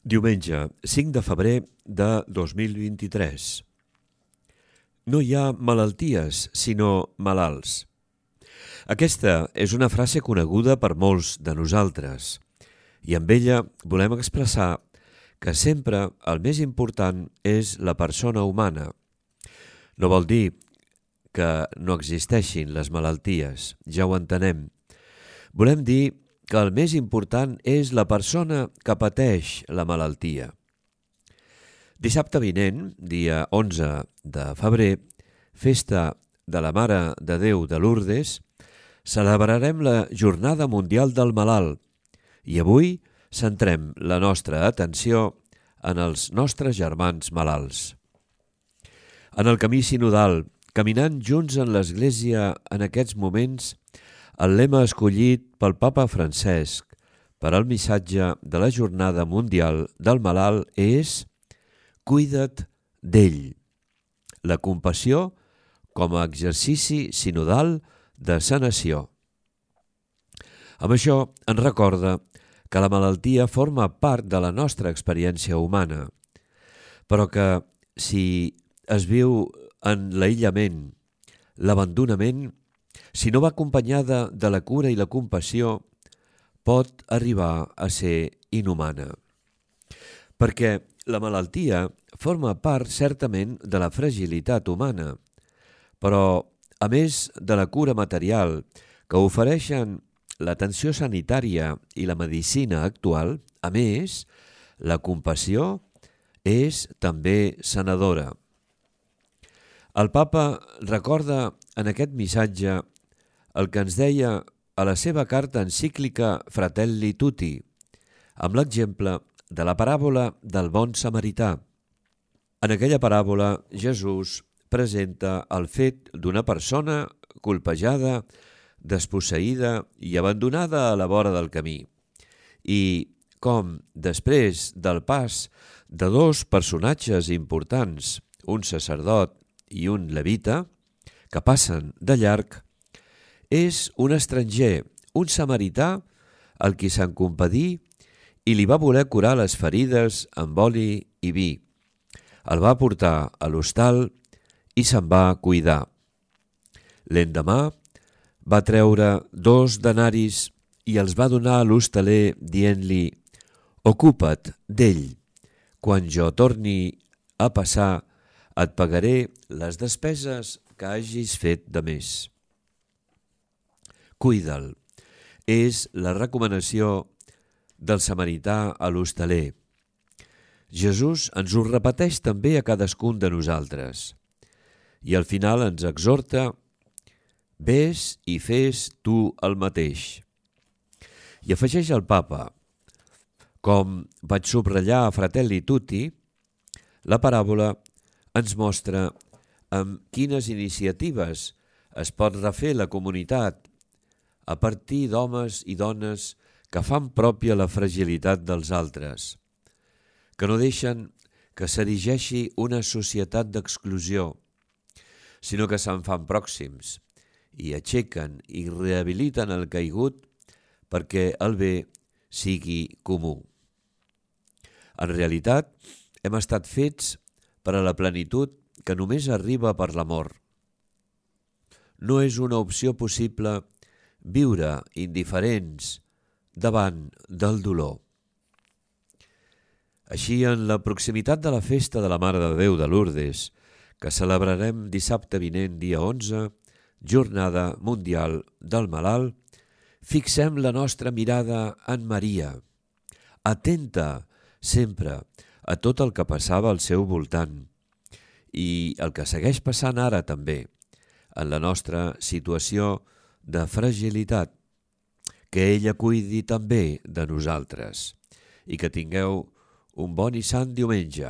Diumenge, 5 de febrer de 2023. No hi ha malalties, sinó malalts. Aquesta és una frase coneguda per molts de nosaltres i amb ella volem expressar que sempre el més important és la persona humana. No vol dir que no existeixin les malalties, ja ho entenem. Volem dir que el més important és la persona que pateix la malaltia. Dissabte vinent, dia 11 de febrer, festa de la Mare de Déu de Lourdes, celebrarem la Jornada Mundial del Malalt i avui centrem la nostra atenció en els nostres germans malalts. En el camí sinodal, caminant junts en l'Església en aquests moments, el lema escollit pel Papa Francesc per al missatge de la Jornada Mundial del Malalt és «Cuida't d'ell». La compassió com a exercici sinodal de sanació. Amb això ens recorda que la malaltia forma part de la nostra experiència humana, però que si es viu en l'aïllament, l'abandonament, si no va acompanyada de la cura i la compassió, pot arribar a ser inhumana. Perquè la malaltia forma part certament de la fragilitat humana, però a més de la cura material que ofereixen l'atenció sanitària i la medicina actual, a més, la compassió és també sanadora. El Papa recorda en aquest missatge el que ens deia a la seva carta encíclica Fratelli Tutti, amb l'exemple de la paràbola del bon samarità. En aquella paràbola, Jesús presenta el fet d'una persona colpejada, desposseïda i abandonada a la vora del camí, i com, després del pas de dos personatges importants, un sacerdot i un levita, que passen de llarg, és un estranger, un samarità, al qui se'n compadí i li va voler curar les ferides amb oli i vi. El va portar a l'hostal i se'n va cuidar. L'endemà va treure 2 denaris i els va donar a l'hostaler dient-li «Ocupa't d'ell, quan jo torni a passar et pagaré les despeses que hagis fet de més». Cuida'l. És la recomanació del samarità a l'hostaler. Jesús ens ho repeteix també a cadascun de nosaltres. I al final ens exhorta: «Ves i fes tu el mateix». I afegeix el Papa: «Com vaig subratllar a Fratelli Tutti, la paràbola ens mostra amb quines iniciatives es pot refer la comunitat a partir d'homes i dones que fan pròpia la fragilitat dels altres, que no deixen que s'erigeixi una societat d'exclusió, sinó que se'n fan pròxims i aixequen i rehabiliten el caigut perquè el bé sigui comú. En realitat, hem estat fets per a la plenitud que només arriba per l'amor. No és una opció possible viure indiferents davant del dolor. Així, en la proximitat de la festa de la Mare de Déu de Lourdes, que celebrarem dissabte vinent, dia 11, Jornada Mundial del Malalt, fixem la nostra mirada en Maria, atenta sempre a tot el que passava al seu voltant i el que segueix passant ara també, en la nostra situació de fragilitat, que ella cuidi també de nosaltres i que tingueu un bon i sant diumenge.